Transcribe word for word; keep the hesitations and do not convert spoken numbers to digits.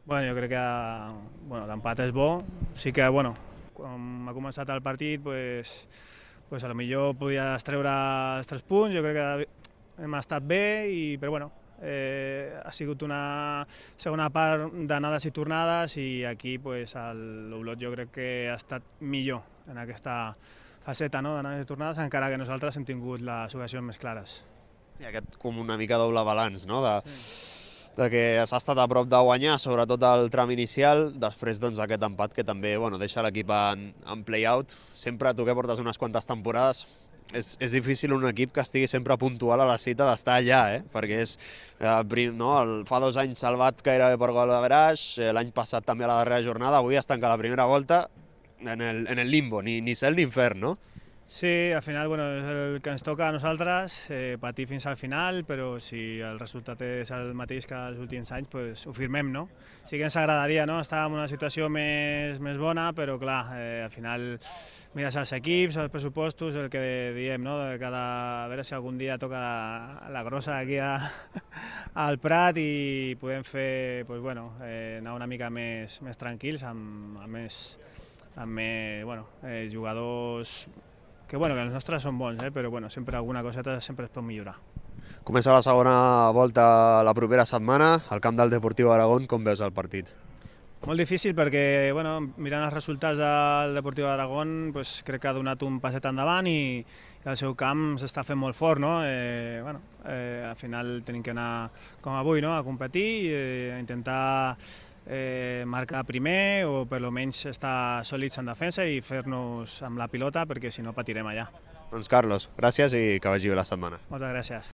Bueno, jo crec que bueno, l'empat és bo. Sí que, bueno, quan ha començat el partit, pues, pues a lo millor podies treure els tres punts. Jo crec que hem estat bé, i, però bueno, eh, ha sigut una segona part d'anades i tornades, i aquí pues, l'Olot jo crec que ha estat millor en aquesta faceta, no?, d'anades i tornades, encara que nosaltres hem tingut les ocasions més clares. Sí, aquest com una mica doble balanç, no?, de... Sí. de que s'ha estat a prop de guanyar, sobretot el tram inicial, després doncs, aquest empat que també bueno, deixa l'equip en, en play-out. Sempre, tu que portes unes quantes temporades, és, és difícil un equip que estigui sempre puntual a la cita d'estar allà, eh? Perquè és, eh, no, el, fa dos anys salvat gairebé per gol de Veraix, eh, l'any passat també a la darrera jornada, avui es tanca la primera volta en el, en el limbo, ni, ni cel ni infern, no? Sí, al final bueno, és el que ens toca a nosaltres, eh, patir fins al final, però si el resultat és el mateix que els últims anys, pues, ho firmem, no? Sí que ens agradaria, no?, estar en una situació més, més bona, però clar, eh, al final mires els equips, els pressupostos, el que diem, no?, de cada... a veure si algun dia toca la, la grossa aquí a, al Prat i podem fer, pues, bueno, eh, anar una mica més, més tranquils, amb, amb més, amb més bueno, eh, jugadors que, bueno, que els nostres són bons, eh? Però bueno, sempre alguna coseta sempre es pot millorar. Comença la segona volta la propera setmana, al camp del Deportiu Aragón, com veus el partit? Molt difícil perquè, bueno, mirant els resultats del Deportiu Aragón, pues, crec que ha donat un passet endavant i, i el seu camp s'està fent molt fort, no? Eh, bueno, eh, al final tenim que anar, com avui, no?, a competir, eh, a intentar eh, marcar primer o per almenys estar sòlids en defensa i fer-nos amb la pilota, perquè si no patirem allà. Doncs Carlos, gràcies i que vagi bé la setmana. Moltes gràcies.